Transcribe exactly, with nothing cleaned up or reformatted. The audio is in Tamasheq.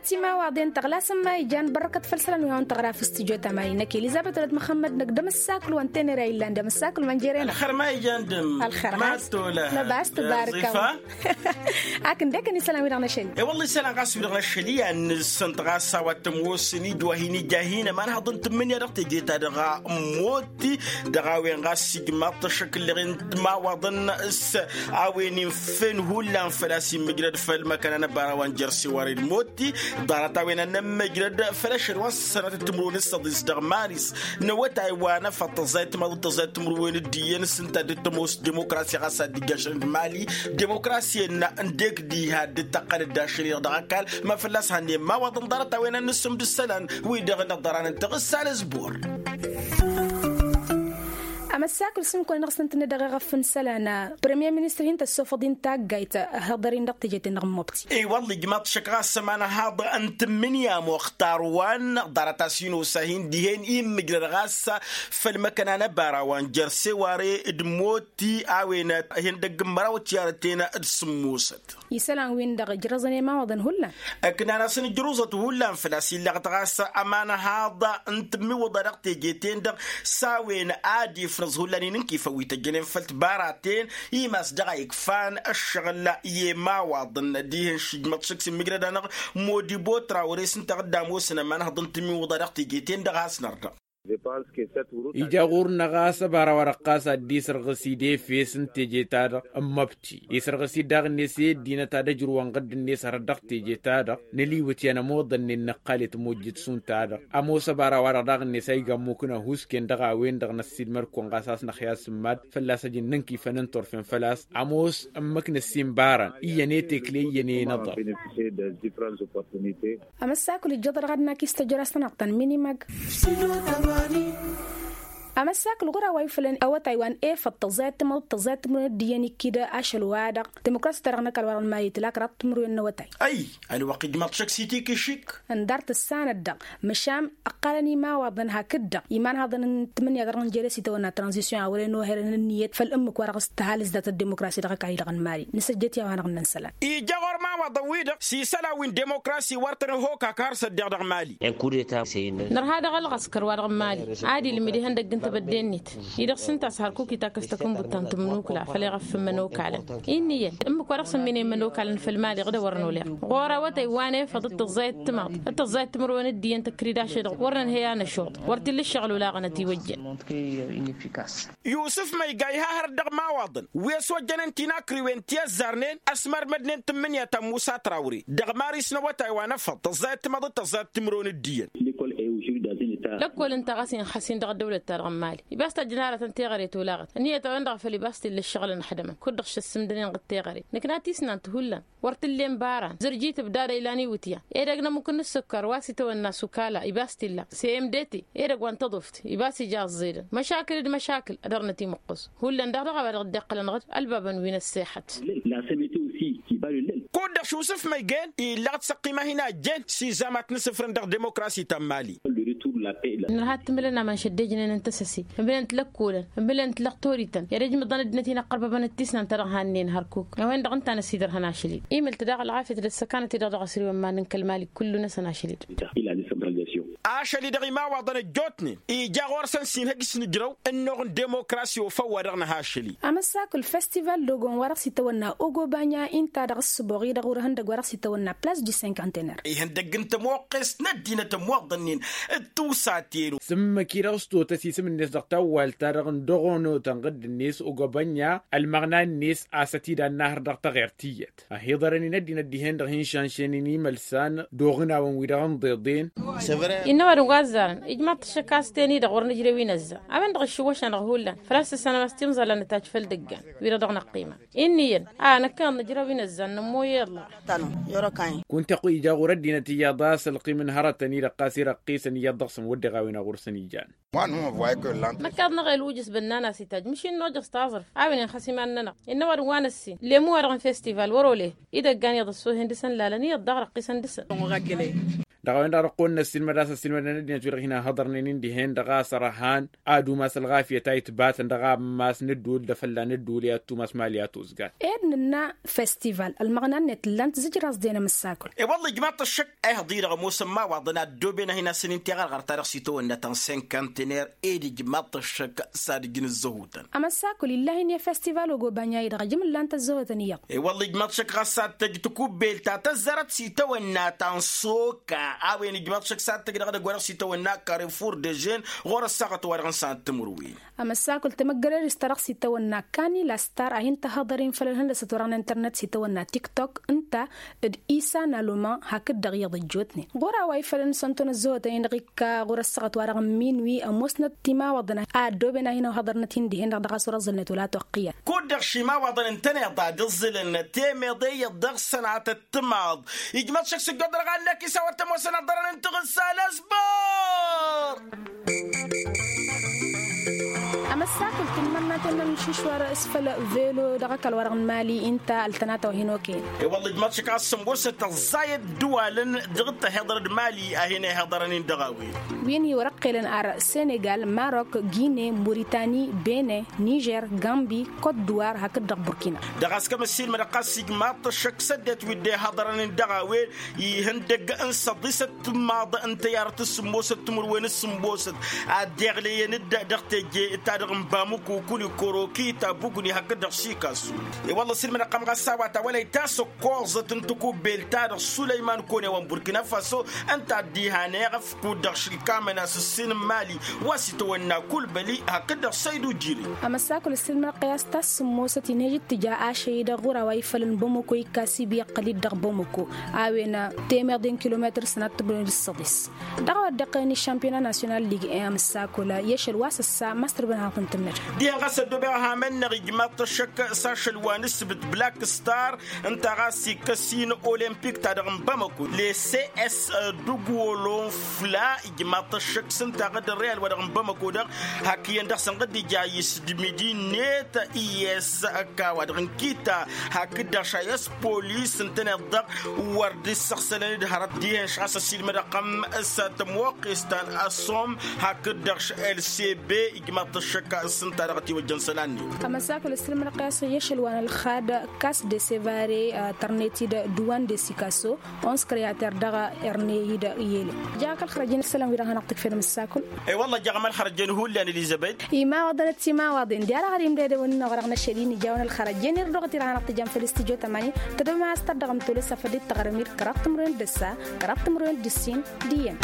Timawaḍen tăɣlasăm ma ijan bărkăt făll-isălan wi hawăn-tăɣra făll-studyo tamani-năk elizăbet wălăt măxămmăd-năk d-amăssaklu wa n-tenăra illan d-amăssaklu mănjere-năk. Ălxer ma ijan d-ămm. Ălxer ɣas. Năbas tăbarăkăm. Ak ǝndek ănn isălan wi-dăɣ năšăl. E-wălla isălan ɣas wi-dăɣ năšăl iyyăn nǝssǝnt ɣas a-wa t-ămoosăn-dd wa hin-ija hin-ămanhăḍ n-tǝmmǝnǝya dăɣ-teje-ta-dăɣ a ămmotti dăɣ-a-wen ɣas ijmaḍ-t ăššăk ǝlleɣ-in timawaḍăn s-a-wen inf'-en hullan făl-a-s immǝjrăd făll-măkkăna n-ăbara wa n-jăr seware d-motti. Ḍarăt-a-wen a n-ămmǝjrăd făll-ašăl wa n-sănatăt timǝrwen s-săḍis dăɣ-maris n-awătay wa n-efăḍ tăẓẓayăt timaḍăt tăẓẓayăt timǝrwen d-iyyăn s-ǝnta a dd-tămoos demokrasi ɣas a dd-ijjašăn d-mali. Demokrasi-en n-dek diha dd-tăqqălăt d-ašăl-i-dăɣ dăɣ-ăkall ma fălla-s hannăyăn imawaḍăn ḍarăt-a-wen ad-nǝssǝm d-isălan wi-dăɣ n-ăḍḍăranăn tăɣǝssa n-ăzbor. Amăssakǝl s-imkăwăn-dăɣ s-tăn-tǝnned dăɣ-eɣăf n-isălan. Premier ministăr hin-tăssofăḍ-in taggayt. Hăḍăr-in dăɣ-teje-ten-dăɣ n-mobti. I-wălla ijmaḍ-t šăkk ɣas ămanhăḍ n-tǝmmǝnǝya muxtar wa n-ḍarăt-as hin-osa hin-dihen immǝjrăd ɣas făll-măkkăna n-ăbara wa n-jer-seware d-mot ti a-wen ihăndăgg n-măraw tiyyarăten d-sǝmmosăt. Isălan-win-dăɣ ǝjrăẓăn i-imawaḍăn hullan. Ǝknan-asăn ǝjruẓăt hullan făl-a-s illăɣ-t ɣas ămanhăḍ n-tǝmmiwǝḍa dăɣ-teje-ten-dăɣ s-a-wen ad-ifnăẓ hullan inǝnkifăn wi tăjjănen făll-tibaraten. Imas dăɣ-a ikfan ǝššăɣǝl i-imawaḍăn dihen šijmăḍ šăkk s-immǝjrăd-anăɣ modibo trawre s-ǝnta a dd-ămoosăn ămanhăḍ n-tǝmmiwǝḍa dăɣ-teje-ten-dăɣ a has-nărdăɣ. Ija ɣur-năɣ a-s ăbara wa dăɣ-ɣas ad-dd-isărɣǝs idefes n-teje-ta-dăɣ n-măbti isărɣǝs-dd daɣ-net i-ăddinăt ad-ăjrǝwăn ɣǝdd-net hărăt dăɣ-teje-ta-dăɣ. Năliwǝt i-anămoḍănnen năqqal i-tămojjăt šund-ta-dăɣ ămoos ăbara wa dăɣ-daɣ-net a iga ămmukǝn ăhuusken dăɣ-a-wen-dăɣ năssiilmăd-kăwăn ɣas a-s năxya s-ǝmmad fălla-s ăjǝn n-inkifăn n-turfen făl-a-s ămoos ǝmmǝk năssiinbarăn iyyăn i-tekle iyyăn i-inăḍăr. Amăssakǝl ijjăḍ-dăɣ ad-nak-istăjăr a-s tănăɣ-tăn minimăg. Amăssakǝl ɣur-a-wa ifălăn awătay wa n-efăḍ tăẓẓayăt timăḍ tăẓẓayăt timǝrwen d-iyyăn ikkid ašăl-wa-dăɣ. Timǝkrasi-ta-dăɣ n-ăkall wa dăɣ-nǝmali tǝla kăraḍ timǝrwen n-awătay. Ay ălwăqq ijmaḍ-t šăkk s-itikǝšik. Ǝndar tǝssanăt-dăɣ măšan ǝqqalăn imawaḍăn hakd-dăɣ imanhaḍăn n-tǝmmǝnǝya dăɣ-nǝnjăre s-itawănna tranzisyon a wăren oherăn ǝnniyăt făll-ǝmmǝk wa dăɣ-s tǝhal ǝzdatăt demokrasi dăɣ-ăkall-i-dăɣ n-mali. Nǝsăjjăt i-a-wa-dăɣ n-ǝnnăn isălan. Ija ɣur-imawaḍăn-wi-dăɣ s-isălan wi n-demokrasi wăr tăn-ăhokak har s-ăddiɣ dăɣ-mali. Nărha dăɣ-ălɣăskăr wa dăɣ-mali ad-ilmǝd ihăndăgg n-tebădde-net-i-dăɣ s-ǝnta a-s hărkuk itakăs takǝnbut ta n-tǝmmǝnukǝla făll-eɣăf n-imănokalăn. Innă iyyăn ǝmmǝk wa dăɣ-săn minen imănokalăn făll-mali ɣǝd a wăr n-oleɣ ɣur-awătay wa n-efăḍ d-tăẓẓayăt timaḍ d-tăẓẓayăt timǝrwen d-iyyăn tăkrid ašăl-i-dăɣ wăr nǝnhăy a năšuḍ wăr t-illa ǝššăɣǝl olaɣăn ătiwăjjăn. Yusǝf măyga iha hărăt dăɣ-imawaḍăn wi ăswăjjănen tinakriwen ti ăzzarnen ăsmărmădnen tǝmmǝnǝya ta n-musa trawre dăɣ-maris n-awătay wa n-efăḍ tăẓẓayăt timaḍ d-tăẓẓayăt timǝrwen d-iyyăn. Lăkkol ǝnta ɣas inxăs-in dăɣ-ăddăwlăt-ta-dăɣ n-mali ibas tajjăn aratăn teɣăre tolaɣăt ǝnniyăt-a-wen-dăɣ făl ibas t-illa ǝššăɣǝl ănxdămăn kud-dăɣ šăssǝmdănen ɣǝd teɣăre. Nǝkna tisnant hullan wăr t-ǝllen baran zărjit ǝbdad a ilan iwǝtyan edăgg n-ămmuk n-ǝssǝkkar wa s-itawănna s-ukala ibas t-illa s-emdete edăgg wa n-tăḍuft ibas ija ăẓẓedăn măšakǝl d-măšakǝl ad-dăr-năt imǝqqǝs. Hullan daɣ dăɣ-a-wa dăɣ-dd-iqqălăn ɣǝd ălbabăn wi n-ăssexăt. Kud-dăɣ šusǝf măygen illăɣ-t s-ăqqima hin-ajjen s-izamat n-asǝfrăn dăɣ-demokrasi ta n-mali. Nărha t-ǝmǝlăn aman šăddejnen n-tăsăse ǝmǝlăn-t lăkkolăn ǝmǝlăn-t lăɣtorităn i-ad-ăjmǝḍăn ăddinăt-in ăqqărbăbăn d-tisnant ta dăɣ-hannen hărkuk a-wen-dăɣ ǝnta a năsidărhăn ašăl-dd. Imǝl-t daɣ ălɣafyăt d-ăssăkanăt-i-dăɣ dăɣ-asǝriwăn ma n-kăl-mali kullu-năsăn ašăl-dd. Ila decentralizasyon. Ašăl-i-dăɣ imawaḍăn ăjjootnen ija ɣur-săn s-inhăj s-nǝjrăw ănnuɣ n-demokrasi ofăw wa dăɣ-nǝha ašăl-i. Amăssakǝl festival d-ogon wa dăɣ-s itawănna ogobanya inta dăɣ-ǝssǝboɣ-i-dăɣ wăr ihăndăgg wa dăɣ-s itawănna plas du cinquantenaire. Ihăndăgg n-tămoqqest n-ăddinăt ămmoḍănnen d-tusaten. S-ǝmmǝk-i-dăɣ s-totăs isǝm-net dăɣ-tawwalt-ta-dăɣ n-dăɣ-onotăn ɣǝdd-net ogobanya ălmăɣna-net a-s ătidannahăr dăɣ-taɣert tiyyăt. Ăhiḍărăn-in ăddinăt dihen-dăɣ hin-šanšen-in imălsan d-oɣǝnawăn-wi-dăɣ ǝnḍeḍen. Innă ăwadǝm wa ăzzarăn ijmaḍ-t ăššăk a-s ten-i-dăɣ wăr nǝjrăw inăzzan a-wen-dăɣ ǝššǝwwăš-anăɣ hullan. Făl-a-s tǝssanăm a-s timẓal a nǝtajj făll-dăggan wi-dăɣ dăɣ-năqqima. Innă iyyăn a năkkăneḍ nǝjrăw inăzzan nămmoy i-ăllah. Kunta ija ɣur-ăddinăt iyyăḍ a-s ălqim n-hărătăn-i-dăɣ ɣas irăqqisăn iyyăḍ dăɣ-săn wădden a-wen a ɣur-săn ijan. Măkkaḍ-năɣ elwǝjǝs bănnan a-s itajj măšin n-ojăẓ taẓrǝft a-wen inxas iman-nănăɣ innă ăwadǝm wa n-ăssin lemu-wa-dăɣ n-festival wăr-ole. Idăggan iyyăḍ ăssohen dăɣ-săn lalăn iyyăḍ daɣ răqqisăn dăɣ-săn. Dăɣ-a-wen-dăɣ dăɣ-kăwăn-năssilmăd a-s ăssilmădăn ăddinăt-wi-dăɣ hin-ăhhăḍărnen-in dihen dăɣ-a-s ărhan ad-umas ălɣafyăt a itbatăn dăɣ-ammas n-ădduul d-afălla n-ădduul i-ad-tumas mali a tozgat. Ed nǝnna festival ălmăɣna-net ǝllan tǝzǝjraẓ-den amǝssakǝl. I-wălla ijmaḍ-t ăššăk a ihăḍ-i-dăɣ ămoosăn imawaḍăn a ăddooben ad-hin-asăn-in-teɣărɣărt-ta-dăɣ s-itawănna ta n-sinkantener ed ijmaḍ-t ăššăk s-ad-ǝjǝn ǝzzăhutăn. Amăssakǝl ill'-ahin i-festival ogobanya-i-dăɣ ǝjǝm ǝllan-t ăzzăhutăn iyyăḍ. I-wălla ijmaḍ-t ăššăk ɣas s-ad-tăj takubbelt ta tăzzarăt s-itawănna ta n-soka a-wen ijmaḍ-t ăššăk s-ad-tăj dăɣ-edăgg-wa-dăɣ s-itawănna karefur dežen ɣur-ăssaɣăt-wa-dăɣ n-sănat timǝrwen. Amăssakǝl temăggălăd-s ta dăɣ-s itawănna kani lastar a hin-tăhhăḍăr-in făll-ălhăndăsăt wa dăɣ-n internet s-itawănna tiktok ǝnta d-isa n-aluma hakd-dăɣ iyyăḍ ăjjootnen ɣur-a-wa ifălăn s-ănton ăzzăhotăn-in-dăɣ ikka ɣur-ăssaɣăt wa dăɣ-n minwi ămoosnăt timawaḍăn a ăddooben a hin-ăhhăḍărnăt-in dihen-dăɣ dăɣ-a-s wăr-ăẓẓǝlnăt wăla toqqǝyăn. Kud-dăɣ šimawaḍăn ǝntăneḍ ad-ǝẓẓǝlăn temeḍe iyyăḍ dăɣ-sănatăt timaḍ ijmăḍ šăkk s-ǝjjoḍ dăɣ-annăk isawăt ămoosăn ăḍḍărăn n-tiɣǝssa n-asbăr. Amăssakǝl tǝmmărnaten n-ălmǝšušwar s-făll velo dăɣ-ăkall-wa-dăɣ n-mali ǝnta ăltănata wa hin-okăyăn. I-wălla ǝjmăḍ šăkk a-s sămoosăt ăẓẓayăt ǝddǝwalăn dăɣ-tăhiḍărăd mali a hin-ehăḍărăn-in dăɣ-a-wen. Wi n-iwărăqqelăn ar senegal marok gine muritani bene nižer gambi kot-duwar hakd-dăɣ burkina. Dăɣ-a-s kămăssilmădăɣ ɣas ijmaḍ-t ăššăk s-ăddinăt wi dd-ehăḍărăn-in dăɣ-a-wen ihăndăgg n-săḍisăt timaḍ n-tăyarăt s-sǝmmosăt timǝrwen s-sǝmmosăt ad-dd-iɣleyăn-dd dăɣ-teje ta dăɣ-n bamǝku kuli korokita bugni hakd-dăɣ sikasu. I-wălla ăssilmădăɣ-tăm ɣas a-wa ta wăla itasăkkoẓăt n-takubbelt-ta-dăɣ sulăyman kone wa n-burkina faso ǝnta a dd-ihaneɣ ăfkud-dăɣ šǝlkamăn a-s ǝssin n-mali wa s-itawănna kulbăli hakd-dăɣ săydu jiri. Amăssakǝl ǝssilmădăɣ-t i-a-s ta s-sǝmmosăt inhăj d-tǝja ašăy-i-dăɣ ɣur-a-wa ifălăn bamako ikkas ibi iqqăl-dd dăɣ-bamako a-wen temeḍe n-kilometăr sănat tǝbnăwăn d-săḍis. Dăɣ-a-wa dd-iqqălăn i-šampiyona nasyonal lig en amǝssakǝl i-ašăl wa s-ăssa mastăr băn hanăɣ-tăn-tǝnnăd. Dihen ɣas ăddobeɣ ahamen-năɣ ijmaḍ-t ăššăk s-ašăl wa n-ǝssǝbǝt black star ǝnta ɣas ikkăs-in olimpik ta dăɣ-n bamako le cs dugwolonfla ijmaḍ-t ăššăk s-ǝnta ɣǝd ăreal wa dăɣ-n bamako-dăɣ hak iyyăn dăɣ-săn ɣǝd ija isdǝmidi-net i-s ăkk a-wa dăɣ-n kita hakd-dăɣ šayăs polis ǝntăneḍ-dăɣ wăr dd-issăɣsălăn-dd hărăt dihen-š ɣas ăsilmădăɣ-tăm s-tămoqqes ta n-assom hakd-dăɣ š-lcb ijmaḍ-t ăššăk s-ǝnta dăɣ-ătiwăjjăn isălan-net. Amăsakăl ǝssilmădăɣ-t i-ašăl wa n-ălxad kas de sevare tărnet-dd duwan de sikaso. Ons kreater dăɣ-ărne-i-dd i-ele. Jaɣ-ak ălxărăjăn isălan-wi-dăɣ hanăɣ-tǝkfed mǝssakǝl. I-wălla jaɣăm ălxărăjăn hullan elizăbet. Imawaḍăn d-timawaḍen diha-dăɣ ad-imdădăwăn-in-dăɣ dăɣ-năšăl-i n-ijawăn ălxărăjăn irdăɣ-t-i-dăɣ hanăɣ-tǝjăm făll-studyo tămani. Tăddomem a-s tărdăɣăm tolăs afăl dd-taɣrǝm-dd kăraḍ timǝrwen d-ǝssa kăraḍ timǝrwen d-ǝssin d-iyyăn.